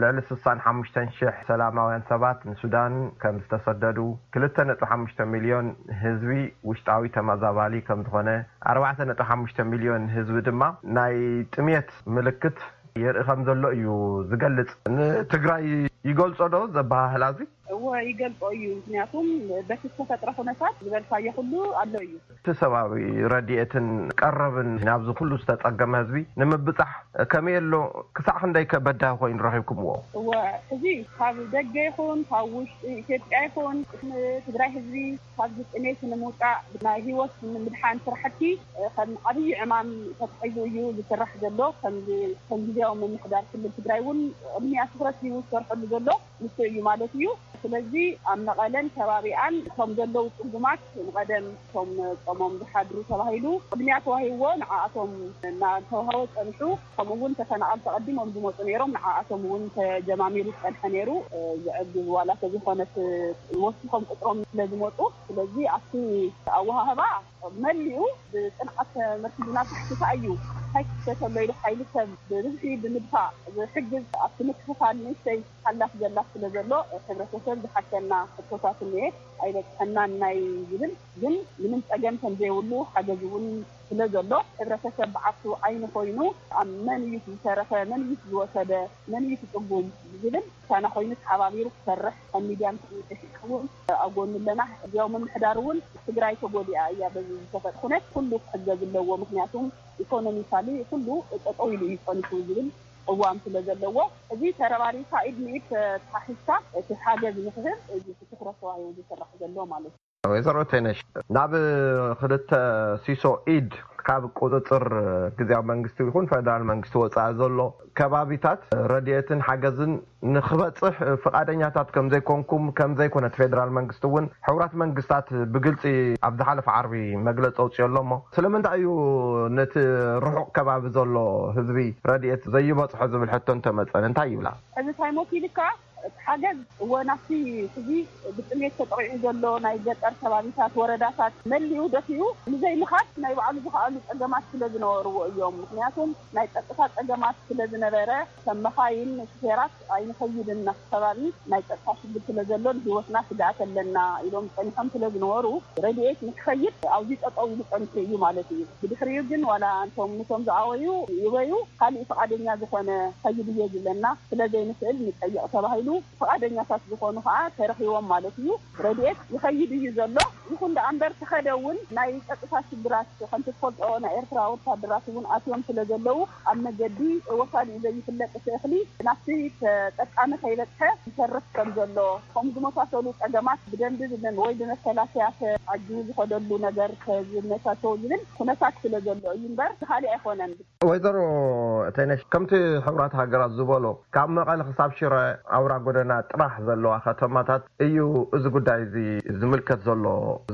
ልዕሊ ስሳን ሓሙሽተን ሽሕ ሰላማውያን ሰባት ንሱዳን ከም ዝተሰደዱ፣ ክልተ ነጥቢ ሓሙሽተ ሚልዮን ህዝቢ ውሽጣዊ ተመዛባሊ ከም ዝኾነ፣ ኣርባዕተ ነጥቢ ሓሙሽተ ሚልዮን ህዝቢ ድማ ናይ ጥሜት ምልክት የርኢ ከም ዘሎ እዩ ዝገልጽ። ንትግራይ ይገልጾ ዶ ዘበሃህላ እዚ? እወ ይገልጾ እዩ። ምክንያቱም በቲ ዝተፈጥረ ኩነታት ዝበልካዮ ኩሉ ኣሎ እዩ። እቲ ሰብኣዊ ረድኤትን ቀረብን ናብዚ ኩሉ ዝተጸገመ ህዝቢ ንምብጻሕ ከመይ ኣሎ? ክሳዕ ክንደይ ከ በዳሂ ኮይኑ ረኺብኩምዎ? እወ፣ እዚ ካብ ደገ ይኹን ካብ ውሽጢ ኢትዮጵያ ይኹን ንትግራይ ህዝቢ ካብዚ ጥሜት ንምውፃእ ናይ ህይወት ንምድሓን ስራሕቲ ከም ዓብዪ ዕማም ተታሒዙ እዩ ዝስራሕ ዘሎ። ከም ከም ግዜያዊ ምምሕዳር ክልል ትግራይ እውን ቅድሚያ ትኩረት ሂቡ ዝሰርሐሉ ዘሎ ንሱ እዩ ማለት እዩ። ስለዚ ኣብ መቐለን ከባቢኣን እቶም ዘለዉ ፅጉማት ንቐደም እቶም ጾሞም ዝሓድሩ ተባሂሉ ቅድሚያ ተዋሂብዎ ንዓኣቶም እናተዋሃቦ ፀኒሑ። ከምኡ እውን ተፈናቐልቲ ቀዲሞም ዝመፁ ነይሮም ንዓኣቶም እውን ተጀማሚሩ ዝፀንሐ ነይሩ። ዝዕግብ ዋላ ተዘይኮነስ ወሲኾም ቁፅሮም ስለ ዝመፁ ስለዚ ኣብቲ ኣወሃህባ መሊኡ ብፅንዓት ተመርኪዝና ትሕትታ እዩ። እንታይ ክፍተት ኣሎ ኢሉ ሓይሊ ሰብ ብብዝሒ ብምድፋእ ዝሕግዝ ኣብቲ ምክፍፋል ንእሽተይ ሓላፍ ዘላ ስለ ዘሎ ሕብረተሰብ ዝሓሸና ሕቶታት እኒኤ ኣይበፅሐናን ናይ ዝብል ግን ምንም ፀገም ከም ዘይብሉ ሓገዝ እውን ስለ ዘሎ ሕብረተሰብ ብዓርሱ ዓይኒ ኮይኑ ኣብ መን እዩ ዝተረፈ መን እዩ ዝወሰደ መን እዩ ትፅጉም ዝብል ቻና ኮይኑ ተሓባቢሩ ክሰርሕ ከም ሚድያን ኮሚኒኬሽን እውን ኣብ ጎኑ ኣለና። እዚያው ምምሕዳር እውን ትግራይ ተጎዲኣ እያ በዚ ዝተፈጠረ ኩነት ኩሉ ክሕገዝ ኣለዎ ምክንያቱም ኢኮኖሚካሊ ኩሉ ጠጠው ኢሉ እዩ ፀኒሑ ዝብል እዋም ስለ ዘለዎ እዚ ተረባሪብካ ኢድ ንኢድ ተተሓሒዝካ እቲ ሓገዝ ንክህብ እዚ ትኩረት ተዋሂቡ ዝስራሕ ዘሎ ማለት እዩ። ወይዘሮ ቴነሽ ናብ ክልተ ሲሶ ኢድ ካብ ቁፅፅር ግዝያዊ መንግስቲ ይኹን ፈደራል መንግስቲ ወፃኢ ዘሎ ከባቢታት ረድኤትን ሓገዝን ንክበፅሕ ፍቓደኛታት ከምዘይኮንኩም ከምዘይኮነ እቲ ፌደራል መንግስቲ እውን ሕቡራት መንግስታት ብግልፂ ኣብ ዝሓለፈ ዓርቢ መግለፂ ኣውፂኦ ኣሎ እሞ ስለምንታይ እዩ ነቲ ርሑቕ ከባቢ ዘሎ ህዝቢ ረድኤት ዘይበፅሖ ዝብል ሕቶ እንተመፀ እንታይ ይብላ? እዚ ታይሞት ኢልካ እቲ ሓገዝ እወ ናብቲ ሕዚ ብጥሜት ተጠቒዑ ዘሎ ናይ ገጠር ከባቢታት ወረዳታት መሊኡ ደፊኡ ንዘይምኻድ ናይ ባዕሉ ዝኸኣሉ ፀገማት ስለ ዝነበርዎ እዮም። ምክንያቱም ናይ ፀጥታ ፀገማት ስለ ዝነበረ ከም መኻይን ሹፌራት ኣይንኸይድን ናብቲ ከባቢ ናይ ፀጥታ ሽግር ስለ ዘሎ ንህይወትና ስግኣት ኣለና ኢሎም ፀኒሖም ስለ ዝነበሩ ረድኤት ንክኸይድ ኣብዚ ጠጠው ኢሉ ፀኒሑ እዩ ማለት እዩ። ብድሕሪኡ ግን ዋላ እንቶም ንቶም ዝኣወዩ ይበዩ ካሊእ ፍቓደኛ ዝኾነ ከይድ እየ ዝብለና ስለ ዘይንኽእል ንጠይቕ ተባሂሉ ፍቓደኛታት ዝኾኑ ከዓ ተረኺቦም ማለት እዩ። ረድኤት ይኸይድ እዩ ዘሎ። ይኹን ደኣ እምበር ተኸደ እውን ናይ ፀጥታ ሽግራት ከምቲ ትፈልጦ ናይ ኤርትራ ወታደራት እውን ኣትዮም ስለ ዘለዉ ኣብ መገዲ ወሳዲኡ ዘይፍለጥ እቲ እኽሊ ናብቲ ተጠቃሚ ከይበፅሐ ይተርፍ ከም ዘሎ ከም ዝመሳሰሉ ፀገማት ብደንቢ ዝመን ወይ ብመከላከያ ተዓጅቡ ዝኸደሉ ነገር ዝመቻቸው ዝብል ኩነታት ስለ ዘሎ እዩ እምበር ካሊእ ኣይኮነን። ወይዘሮ ተይነሽ ከምቲ ሕቡራት ሃገራት ዝበሎ ካብ መቐለ ክሳብ ሽረ ኣውራ ጎደና ጥራሕ ዘለዋ ከተማታት እዩ እዚ ጉዳይ እዚ ዝምልከት ዘሎ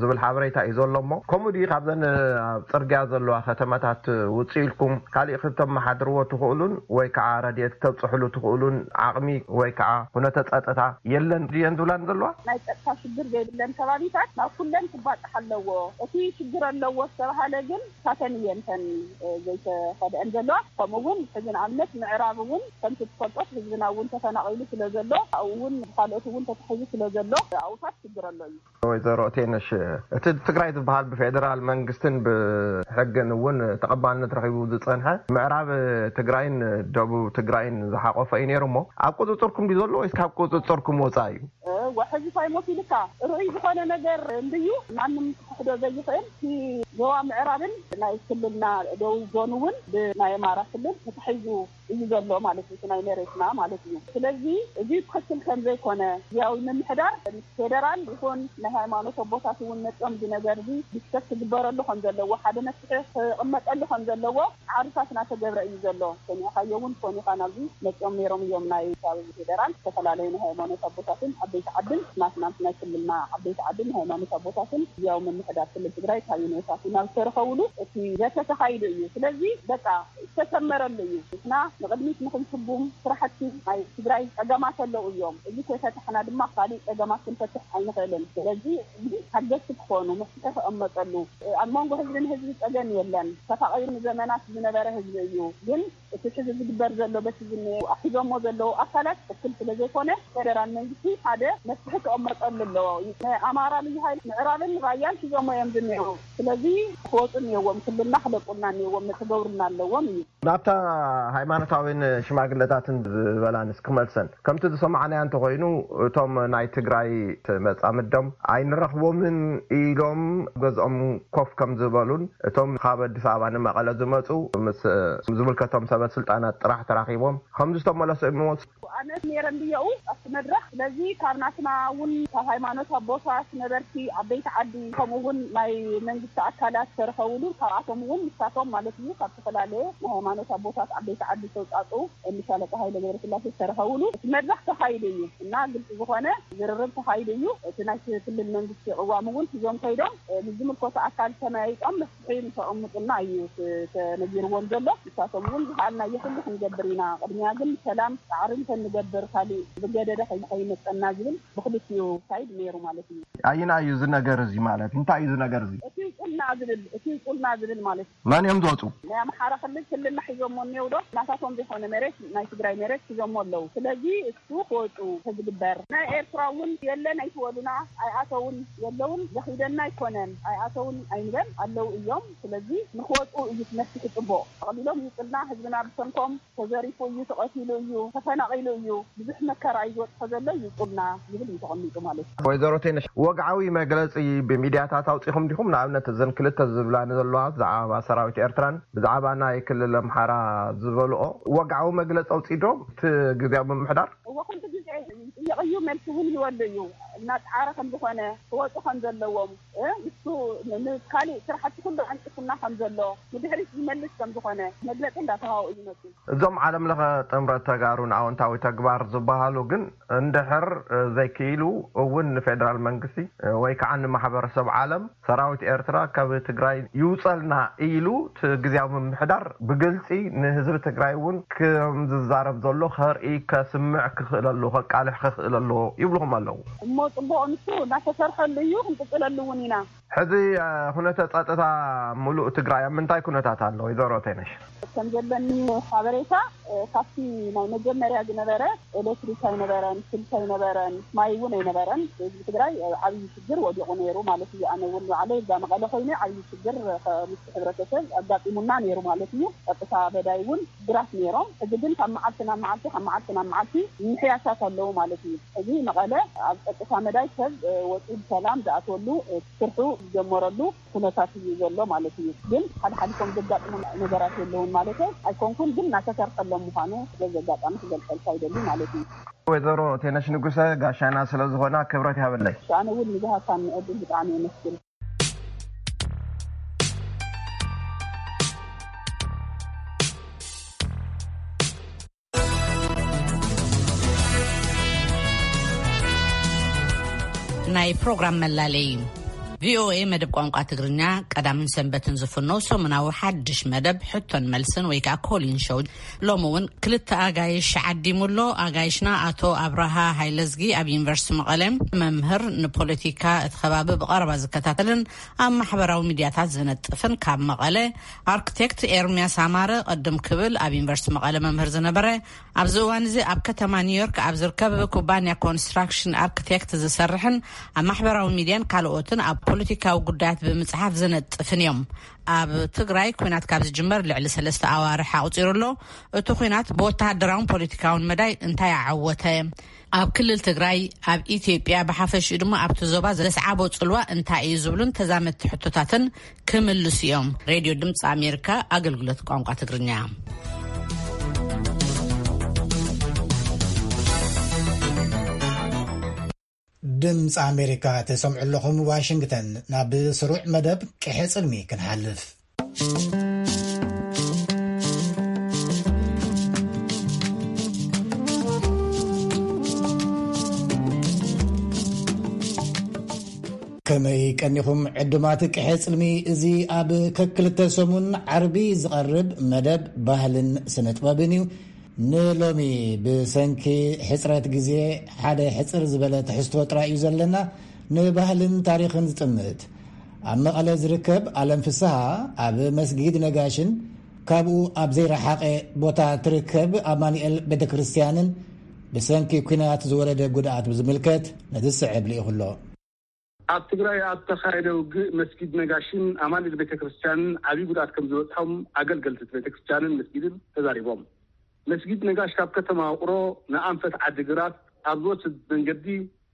ዝብል ሓበሬታ እዩ ዘሎ እሞ ከምኡ ድዩ ካብዘን ኣብ ፅርግያ ዘለዋ ከተማታት ውፅእ ኢልኩም ካሊእ ክተመሓድርዎ ትኽእሉን ወይ ከዓ ረድኤት ክተብፅሕሉ ትኽእሉን ዓቕሚ ወይ ከዓ ኩነተ ፀጥታ የለን ድየን ዝብላን ዘለዋ? ናይ ፀጥታ ሽግር ዘይብለን ከባቢታት ናብ ኩለን ክባፃሕ ኣለዎ። እቲ ሽግር ኣለዎ ዝተባሃለ ግን እሳተን እየን እተን ዘይተኸድአን ዘለዋ። ከምኡ እውን ሕዚ ንኣብነት ምዕራብ እውን ከምቲ ትፈልጦት ህዝብና እውን ተፈናቒሉ ስለ ዘሎ ኣብኡ እውን ብካልኦት እውን ተታሒዙ ስለ ዘሎ ኣብኡታት ሽግር ኣሎ እዩ። ወይዘሮ ቴነሽ እቲ ትግራይ ዝበሃል ብፌደራል መንግስትን ብሕግን እውን ተቐባልነት ረኺቡ ዝፀንሐ ምዕራብ ትግራይን ደቡብ ትግራይን ዝሓቆፈ እዩ ነይሩ እሞ ኣብ ቁፅፅርኩም ድዩ ዘሎ ወይስ ካብ ቁፅፅርኩም ወፃኢ እዩ? ወሕዚ ታይ ሞት ኢልካ ርኡይ ዝኾነ ነገር እንድዩ ማንም ክሕዶ ዘይኽእል እቲ ዞባ ምዕራብን ናይ ክልልና ደቡብ ዞን እውን ብናይ ኣማራ ክልል ተታሒዙ እዩ ዘሎ ማለት እዩ ናይ መሬትና ማለት እዩ ስለዚ እዚ ትኽክል ከም ዘይኮነ ያው ምምሕዳር ፌደራል ይኹን ናይ ሃይማኖት ኣቦታት እውን መፅኦም እዚ ነገር እዚ ዲስከስ ክግበረሉ ከም ዘለዎ ሓደ መፍትሒ ክቕመጠሉ ከም ዘለዎ ዓርሳት እናተገብረ እዩ ዘሎ ሰሚዕኻዮ እውን ትኾን ኢኻ ናብዚ መፅኦም ነይሮም እዮም ናይ ከባቢ ፌደራል ዝተፈላለዩ ናይ ሃይማኖት ኣቦታትን ዓበይቲ ዓድን ናትና ናይ ክልልና ዓበይቲ ዓድን ናይ ሃይማኖት ኣቦታትን ያው ምምሕዳር ክልል ትግራይ ካብ ዩኔሳት ናብ ዝተረኸብሉ እቲ ዘተ ተኻይዱ እዩ ስለዚ በቃ ዝተሰመረሉ እዩ ንሕና ንቕድሚት ንኽንስጉም ስራሕቲ ናይ ትግራይ ፀገማት ኣለዉ እዮም እዚ ከይፈታሕና ድማ ካሊእ ፀገማት ክንፈትሕ ኣይንኽእልን ስለዚ እዚ ሓገዝቲ ክኾኑ መፍትሒ ክቕመጠሉ ኣብ መንጎ ህዝቢ ንህዝቢ ፀገም የለን ተፋቒሩ ንዘመናት ዝነበረ ህዝቢ እዩ ግን እቲ ሕዚ ዝግበር ዘሎ በቲ ዝኒኦ ኣሒዞሞ ዘለዉ ኣካላት ትክክል ስለ ዘይኮነ ፌደራል መንግስቲ ሓደ መፍትሒ ክቕመጠሉ ኣለዎ ናይ ኣማራ ልዩ ሃይል ምዕራብን ራያን ሒዞሞ እዮም ዝኒኦ ስለዚ ክወፁ እኒኦዎም፣ ክልልና ክለቁልና እኒኦዎም፣ ክገብሩና ኣለዎም እዩ። ናብታ ሃይማኖታዊን ሽማግለታትን ዝበላንስ ክመልሰን፣ ከምቲ ዝሰማዕናዮ እንተኾይኑ፣ እቶም ናይ ትግራይ መጻምዶም ኣይንረኽቦምን ኢሎም ገዝኦም ኮፍ ከም ዝበሉን፣ እቶም ካብ ኣዲስ ኣበባ ንመቐለ ዝመጹ ምስ ዝምልከቶም ሰበ ስልጣናት ጥራሕ ተራኺቦም ከም ዝተመለሱ እዮም። ኣነ ነይረ እንድየኡ ኣብቲ መድረኽ። ስለዚ ካብ ናትና እውን፣ ካብ ሃይማኖት ኣቦታት፣ ነበርቲ፣ ዓበይቲ ዓዲ፣ ከምኡ እውን ናይ መንግስቲ ኣካላት ዝተረኸብሉ፣ ካብኣቶም እውን ንሳቶም ማለት እዩ፣ ካብ ዝተፈላለየ ናይ ሃይማኖት ኣቦታት፣ ዓበይቲ ዓዲ ዝተውፃፅኡ፣ ሻለቃ ሃይለ ገብረስላሴ ዝተረኸብሉ እቲ መድረኽ ተኻይዱ እዩ እና፣ ግልፂ ዝኾነ ዝርርብ ተኻይዱ እዩ። እቲ ናይ ክልል መንግስቲ ቅዋም እውን ሒዞም ከይዶም፣ እ፣ ምስ ዝምልከቶ ኣካል ተመያይጦም መፍትሒ ንከቐምጡልና እዩ ተ-፣ ተነጊርዎም ዘሎ። ንሳቶም እውን ዝኸኣልናዮ ኩሉ ክንገብር ኢና፣ ቅድሚያ ግን ሰላም ጻዕሪ እንተንገብር፣ ካሊእ ዝገደደ ከይ-፣ ከይመጸና ዝብል ብክልቲኡ ሳይድ ነይሩ ማለት እዩ። ኣይና እዩ እዚ ነገር እዚ ማለት? እንታይ እዩ እዚ ነገር እዚ? እቲ ውጹልና ዝብል፣ እቲ ውጹልና ዝብል ማለት እዩ። መን እዮም ዝወጹ? ናይ ኣምሓራ ክልል ክልልና ሒዞሞ እኒው ዶ? ናታቶም ዘይኮነ መሬት፣ ናይ ትግራይ መሬት ሒዞሞ ኣለዉ። ስለዚ እሱ ክወጹ ተዝግበር። ናይ ኤርትራ እውን የለን፣ ኣይትወሉና፣ ኣይኣተውን፣ የለውን፣ ዘኺደና ኣይኮነን፣ ኣይኣተውን ኣይንበል፣ ኣለዉ እዮም። ስለዚ ንክወጹ እዩ እቲ መፍትሒ ጽቡቕ። ተቐሊሎም ይውጹልና፣ ህዝብና ብሰንኮም ተዘሪፉ እዩ፣ ተቐቲሉ እዩ፣ ተፈናቒሉ እዩ፣ ብዙሕ መከራ እዩ ዝወጽሖ ዘሎ፣ ይውጹልና ዝብል እዩ ተቐሚጡ ማለት እዩ። ወይዘሮ ቴነሽ፣ ወግዓዊ መግለጺ ብሚድያታት ኣውጺኹም ዲኹም? ንኣብነት እዘን ክልተ ዝብላኒ ዘለዋ ብዛዕባ ሰራዊት ኤርትራን ብዛዕባ ናይ ክልል ኣምሓራ ዝበልኦ ወግዓዊ መግለጺ ኣውጺ ዶ እቲ ግዜያዊ ምምሕዳር? እወ፣ ኩሉ ግዜ ይጥየቕ እዩ፣ መልሲ እውን ይወሉ እዩ። እናጸዓረ ከም ዝኾነ፣ ክወጹ ከም ዘለዎም፣ እ፣ ንሱ ን-፣ ንካሊእ ስራሕቲ ኩሉ ዓንቂፉና ከም ዘሎ፣ ንድሕሪት ይመልስ ከም ዝኾነ መግለጺ እንዳተሃወ እዩ መጽኡ። እዞም ዓለም ለኸ ጥምረት ተጋሩን ኣወንታዊ ተግባር ዝበሃሉ ግን እንድሕር፣ እ፣ ዘይክኢሉ እውን ንፌደራል መንግስቲ፣ እ፣ ወይ ከዓ ንማሕበረሰብ ዓለም ሰራዊት ኤርትራ ካብ ትግራይ ይውፀልና ኢሉ እቲ ግዜያዊ ምምሕዳር ብግልፂ ንህዝቢ ትግራይ እውን ከም ዝዛረብ ዘሎ ከርኢ፣ ከስምዕ ክኽእል ኣለዎ፣ ከቃልሕ ክኽእል ኣለዎ ይብልኹም ኣለዉ። እሞ ፅቡቕ፣ ንሱ እናተሰርሐሉ እዩ፣ ክንቅፅለሉ እውን ኢና። ሕዚ፣ እ፣ ኩነተ ፀጥታ ሙሉእ ትግራይ ኣብ ምንታይ ኩነታት ኣሎ ወይዘሮ ቴነሽ? ከም ዘለኒ ሓበሬታ፣ እ፣ ካብቲ ናይ መጀመርያ ዝነበረ ኤሌክትሪክ ኣይነበረን፣ ስልኪ ኣይነበረን፣ ማይ እውን ኣይነበረን። ህዝቢ ትግራይ ኣብ ዓብዪ ሽግር ወዲቑ ነይሩ ማለት እዩ። ኣነ እውን ባዕለይ እዛ መቐለ ኮይነ ዓብዪ ሽግር ከ-፣ ምስ ሕብረተሰብ ኣጋጢሙና ነይሩ ማለት እዩ። ጸጥታ መዳይ እውን ሽግራት ነይሮም። ሕዚ ግን ካብ መዓልቲ ናብ መዓልቲ፣ ካብ መዓልቲ ናብ መዓልቲ ምምሕያሻት ኣለዉ ማለት እዩ። ሕዚ መቐለ ኣብ ጸጥታ መዳይ ሰብ፣ እ፣ ወፂኡ ብሰላም ዝኣትወሉ፣ እ፣ ስርሑ ዝጀመረሉ ኩነታት እዩ ዘሎ ማለት እዩ። ግን ሓደ ሓሊፎም ዘጋጥሙ ነገራት የለውን ማለት ኣይኮንኩን፣ ግን እናተሰርሐሎም ምዃኑ በዚ ኣጋጣሚ ክገልጸልካ ይደሊ ማለት እዩ። ወይዘሮ ቴነሽ ንጉሰ ጋሻና ስለ ዝኾና ክብረት ይሃበለይ። ኣነ እውን ንዝሃብካኒ ዕድል ብጣዕሚ የመስግን። ናይ ፕሮግራም መላለይ። ቪኦኤ መደብ ቋንቋ ትግርኛ ቀዳምን ሰንበትን ዝፍኖ ሰሙናዊ ሓድሽ መደብ ሕቶን መልስን ወይ ከዓ ኮሊን ሾው ሎሚ እውን ክልተ ኣጋይሽ ዓዲሙ ኣሎ። ኣጋይሽና ኣቶ ኣብርሃ ሃይለዝጊ ኣብ ዩኒቨርሲቲ መቐለ መምህር፣ ንፖለቲካ እቲ ከባቢ ብቐረባ ዝከታተልን ኣብ ማሕበራዊ ሚድያታት ዝነጥፍን ካብ መቐለ፣ ኣርክቴክት ኤርሚያስ ኣማረ ቅድም ክብል ኣብ ዩኒቨርሲቲ መቐለ መምህር ዝነበረ፣ ኣብዚ እዋን እዚ ኣብ ከተማ ኒውዮርክ ኣብ ዝርከብ ኩባንያ ኮንስትራክሽን ኣርክቴክት ዝሰርሕን ኣብ ማሕበራዊ ሚድያን ካልኦትን ኣብ ፖለቲካዊ ጉዳያት ብምጽሓፍ ዝነጥፍን እዮም። ኣብ ትግራይ ኲናት ካብ ዝጅመር ልዕሊ ሰለስተ ኣዋርሕ ኣቑጺሩ ኣሎ። እቲ ኲናት ብወተሃደራውን ፖለቲካውን መዳይ እንታይ ኣዓወተ? ኣብ ክልል ትግራይ፣ ኣብ ኢትዮጵያ ብሓፈሽኡ ድማ ኣብቲ ዞባ ዘስዓቦ ጽልዋ እንታይ እዩ ዝብሉን ተዛመድቲ ሕቶታትን ክምልሱ እዮም። ሬድዮ ድምፂ ኣሜሪካ ኣገልግሎት ቋንቋ ትግርኛ። ድምፂ ኣሜሪካ ትሰምዑ ኣለኹም፣ ዋሽንግተን። ናብ ስሩዕ መደብ ቅሐ ጽልሚ ክንሓልፍ። ከመይ ቀኒኹም ዕዱማት ቅሐ ጽልሚ? እዚ ኣብ ከክልተ ሰሙን ዓርቢ ዝቐርብ መደብ ባህልን ስነ ጥበብን እዩ። ንሎሚ ብሰንኪ ሕጽረት ግዜ ሓደ ሕጽር ዝበለ ትሕዝቶ ጥራይ እዩ ዘለና፣ ንባህልን ታሪኽን ዝጥምት። ኣብ መቐለ ዝርከብ ኣለም ፍስሃ ኣብ መስጊድ ነጋሽን ካብኡ ኣብ ዘይረሓቐ ቦታ ትርከብ ኣማኑኤል ቤተ ክርስቲያንን ብሰንኪ ኲናት ዝወረደ ጉድኣት ብዝምልከት ነዚ ዝስዕብ ልኢኹ ኣሎ። ኣብ ትግራይ ኣብ ተኻየደ ውግእ መስጊድ ነጋሽን ኣማኑኤል ቤተክርስትያንን ዓብዪ ጉድኣት ከም ዝበፅሖም ኣገልገልቲ እቲ ቤተክርስትያንን መስጊድን ተዛሪቦም። መስጊድ ነጋሽ ካብ ከተማ ውቕሮ ንኣንፈት ዓዲግራት ኣብ ዝወስድ መንገዲ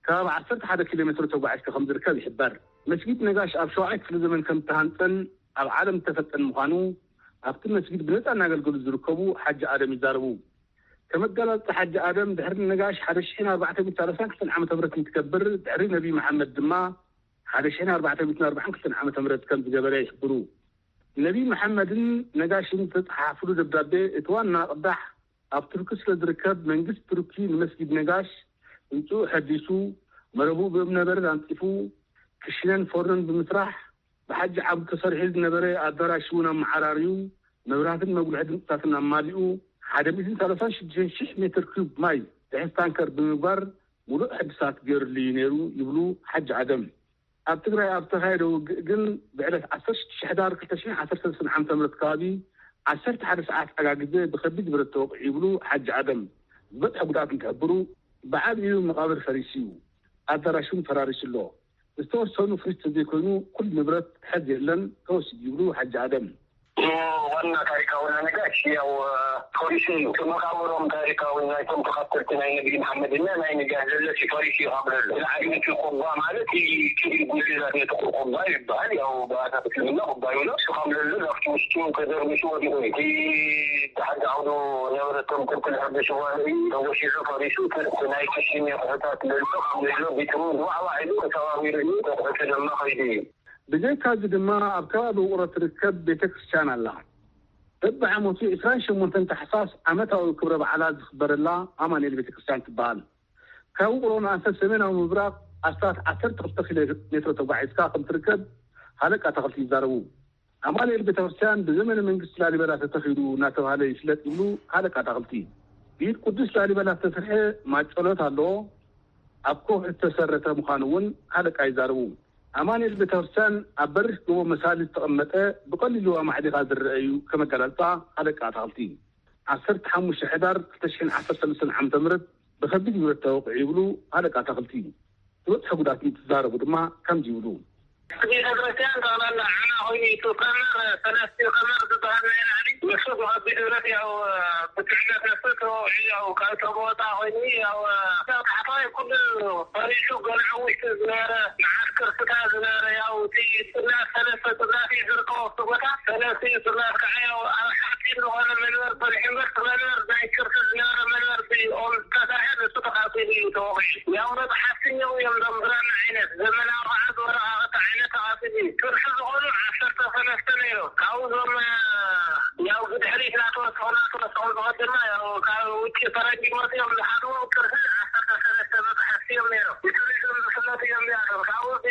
ከባቢ ዓሰርተ ሓደ ኪሎ ሜትሮ ተጓዒዝካ ከም ዝርከብ ይሕበር። መስጊድ ነጋሽ ኣብ ሸውዓይ ክፍለ ዘመን ከም ዝተሃንፀን ኣብ ዓለም ዝተፈልጠን ምዃኑ ኣብቲ መስጊድ ብነፃ እናገልገሉ ዝርከቡ ሓጂ ኣደም ይዛረቡ። ከመጋላፅቲ ሓጂ ኣደም ድሕሪ ነጋሽ ሓደ ሽሕን ኣርባዕተ ሚእትን ሰላሳን ክልተን ዓመተ ምህረት እንትከብር ድሕሪ ነቢ መሓመድ ድማ ሓደ ሽሕን ኣርባዕተ ሚእትን ኣርባዓን ክልተን ዓመተ ምህረት ከም ዝገበረ ይሕብሩ። ነቢ መሓመድን ነጋሽን ዝተፀሓሓፍሉ ደብዳቤ እቲ ዋና ቅዳሕ ኣብ ቱርኪ ስለ ዝርከብ መንግስቲ ቱርኪ ንመስጊድ ነጋሽ ህንፅኡ ሐዲሱ መረቡ ብእምነበረድ ኣንፂፉ ክሽነን ፎርኖን ብምስራሕ ብሓጂ ዓብዱ ተሰሪሑ ዝነበረ ኣዳራሽ እውን ኣመዓራርዩ መብራህትን መጉልሒ ድምፅታትን ኣማሊኡ ሓደ ሚእትን ሰላሳን ሽዱሽተን ሽሕ ሜትር ኪዩብ ማይ ዝሕዝ ታንከር ብምግባር ሙሉእ ሕድሳት ገይሩሉ እዩ ነይሩ ይብሉ ሓጂ ኣደም። ኣብ ትግራይ ኣብ ዝተኻየደ ውግእ ግን ብዕለት ዓሰርተ ሽዱሽተ ሕዳር ክልተ ሽሕን ዓሰርተ ሰለስተን ዓመተ ምህረት ከባቢ ዓሰርተ ሓደ ሰዓት ኣጋ ግዜ ብከቢድ ብረት ተወቂዑ ይብሉ ሓጂ ኣደም። ዝበፅሐ ጉድኣት እንትሕብሩ ብዓብዩ መቓብር ፈሪሱ እዩ። ኣዳራሽ እውን ፈራሪሱ ኣሎ። ዝተወሰኑ ፍሪጅ ተዘይኮይኑ ኩሉ ንብረት ሕዚ የለን ተወሲዱ ይብሉ ሓጂ ኣደም። ዋና ታሪካዊ ነጋሽ ያው ፖሊሲ እዩ። መቃብሮም ታሪካዊ ናይቶም ተኸተልቲ ናይ ነቢ መሓመድና ናይ ነጋሽ ዘለሲ ፖሊሲ እዩ ካብ ዘሎ። ላዕሊ እቲ ቁባ ማለት እዩ። እቲ ጉልላት ነቲ ቁባ ይበሃል። ያው ብኣታ ክትልምና ቁባ ይብሎ። እሱ ካብ ዘሎ ናብቲ ውሽጡ ተደርሚሱ ወዲቑ እዩ። እቲ ብሓደ ዓውዱ ነበረቶም ክልተ ሕርቢ ሽዋለ እዩ ተወሲዑ ፈሪሱ። ትርፊ ናይ ክሽን የቑሑታት ዘሎ ካብ ዘሎ ቢትሩ ዋዕዋዕ ኢሉ ተሰባቢሩ እዩ። ተቑሑቱ ድማ ከይዱ እዩ። ብዘይካዚ ድማ ኣብ ከባቢ ውቕሮ ትርከብ ቤተ ክርስቲያን ኣላ። በብዓመቱ ዕስራን ሸሞንተን ታሕሳስ ዓመታዊ ክብረ በዓላ ዝኽበረላ ኣማኑኤል ቤተ ክርስቲያን ትበሃል። ካብ ውቕሮ ንኣንፈት ሰሜናዊ ምብራቕ ኣስታት ዓሰርተ ክልተ ኪሎ ሜትሮ ተጓዒዝካ ከም ትርከብ ሃለቃ ኣታኽልቲ ይዛረቡ። ኣማኑኤል ቤተ ክርስቲያን ብዘመነ መንግስቲ ላሊበላ ተተኺሉ እናተባህለ ይፍለጥ ይብሉ ሃለቃ ኣታኽልቲ። ብኢድ ቅዱስ ላሊበላ ዝተሰርሐ ማጨሎት ኣለዎ። ኣብ ከውሒ ዝተሰረተ ምዃኑ እውን ሃለቃ ይዛረቡ። ኣማኑኤል ቤተ ክርስቲያን ኣብ በሪኽ ጎቦ መሳሊ ዝተቐመጠ ብቐሊሉ ኣማዕዲኻ ዝረአ እዩ። ከም ኣገላልፃ ሃለቃ ኣታኽልቲ ዓሰርተ ሓሙሽተ ሕዳር ክልተ ሽሕን ዓሰርተ ሰለስተን ዓመተ ምህረት ብከቢድ ብረት ተወቂዑ ይብሉ ሃለቃ ኣታኽልቲ። ዝበፅሐ ጉድኣት እንትዛረቡ ድማ ከምዚ ይብሉ። ቤተ ክርስቲያን ጠቕላላ ዓና ኮይኑ እዩ። እቲ ቀመር ሰለስቲ ቀመር ዝበሃል ናይ ላዕሊ ንሱ ብከቢድ ብረት ያው ብትዕነት ነሱ ተወቂዑ ያው ካብ ጥቕሚ ወፃኢ ኮይኑ ያው ካብ ታሕተዋይ ኩሉ ፈሪሱ ገልዑ ውሽጢ ዝነበረ መዓት ቅርስታት ዝነበረ ያው እቲ ጽላት ሰለስተ ጽላት እዩ ዝርከቦ ኣብቲ ቦታ። ሰለስቲኡ ጽላት ከዓ ያው ኣብ ሓፂን ዝኾነ መንበር ጸኒሑ እምበር እቲ መንበር ናይ ቅርሲ ዝነበረ መንበር ብኦም ዝተሰርሐ ንሱ ተቓፂሉ እዩ ተወቒዑ። ያው መፅሓፍቲ እኒአው እዮም እዞም ብራና ዓይነት ዘመናዊ ከዓ ዝወረቓቕቲ ዓይነት ተቓፂሉ እዩ። ቅርሲ ዝኾኑ ዓሰርተ ሰለስተ ነይሮም። ካብኡ እዞም ያው ብድሕሪት እናተወሰኹ እናተወሰኹ ዝኸድ ድማ ያው ካብ ውጭ ፈረንጂ መፅኦም ዝሓድዎም ቅርሲ ዓሰርተ ሰለስተ መፅሓፍቲ እዮም ነይሮም። ብቱሪዝም ዝፍለጡ እዮም እዚኣቶም። ካብኡ እቲ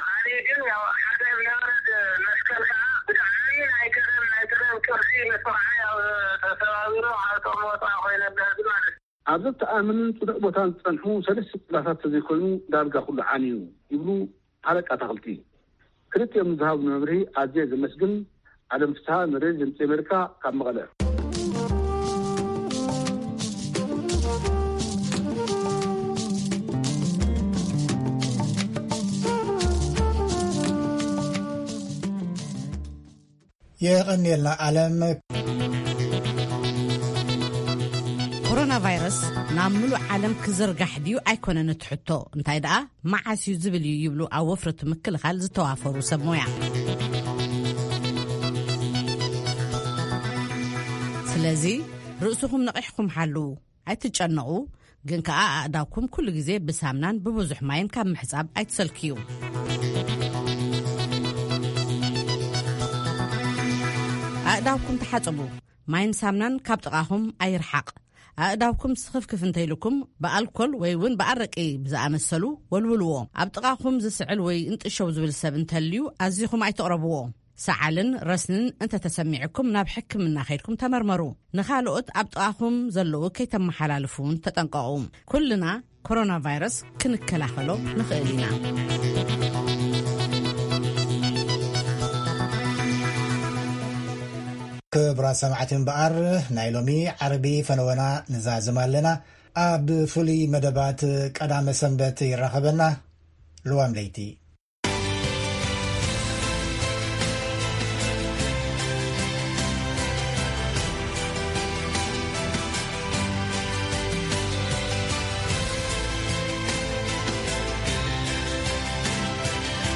ካሊእ ግን ያው ሓደ እምነበረድ መስቀል ከዓ ብጣዕሚ ናይ ቀደም ናይ ቀደም ቅርሲ ንሱ ከዓ ያው ተሰባቢሩ ካብ ጥቕሚ ወፃኢ ኮይነ ብህዝቢ ማለት እዩ። ኣብ ዘተኣማምንን ፅኑዕ ቦታን ዝፀንሑ ሰለስተ ፅላታት ተዘይኮይኑ ዳርጋ ኩሉ ዓንዩ ይብሉ ሓለቃ ኣታኽልቲ። ክልቲኦም ንዝሃቡኒ መብርሂ ኣዝየ ዘመስግን። ኣለም ፍስሃ ንሬድዮ ድምፂ ኣሜሪካ ካብ መቐለ። የቐንየልና ኣለም። ኮሮና ቫይረስ ናብ ምሉእ ዓለም ክዝርጋሕ ድዩ ኣይኮነን እቲ ሕቶ፣ እንታይ ደኣ መዓስ እዩ ዝብል እዩ ይብሉ ኣብ ወፍሪ እቲ ምክልኻል ዝተዋፈሩ ሰብ ሞያ። ስለዚ ርእስኹም ነቒሕኩም ሓልዉ። ኣይትጨነቑ፣ ግን ከኣ ኣእዳውኩም ኩሉ ግዜ ብሳምናን ብብዙሕ ማይን ካብ ምሕጻብ ኣይትሰልክዩ። ኣእዳውኩም ተሓጸቡ። ማይን ሳምናን ካብ ጥቓኹም ኣይርሓቕ። ኣእዳውኩም ስኽፍክፍ እንተኢሉኩም ብኣልኮል ወይ እውን ብኣረቂ ብዝኣመሰሉ ወልውልዎ። ኣብ ጥቓኹም ዝስዕል ወይ እንጥሸው ዝብል ሰብ እንተልዩ ኣዚኹም ኣይትቕረብዎ። ሰዓልን ረስንን እንተተሰሚዕኩም ናብ ሕክምና ከይድኩም ተመርመሩ። ንኻልኦት ኣብ ጥቓኹም ዘለዉ ከይተመሓላልፉ እውን ተጠንቀቑ። ኩልና ኮሮና ቫይረስ ክንከላኸሎ ንኽእል ኢና። ክቡራት ሰማዕቲ እምበኣር ናይ ሎሚ ዓርቢ ፈነወና ንዛዝም ኣለና። ኣብ ፍሉይ መደባት ቀዳመ ሰንበት ይራኸበና። ልዋም ለይቲ።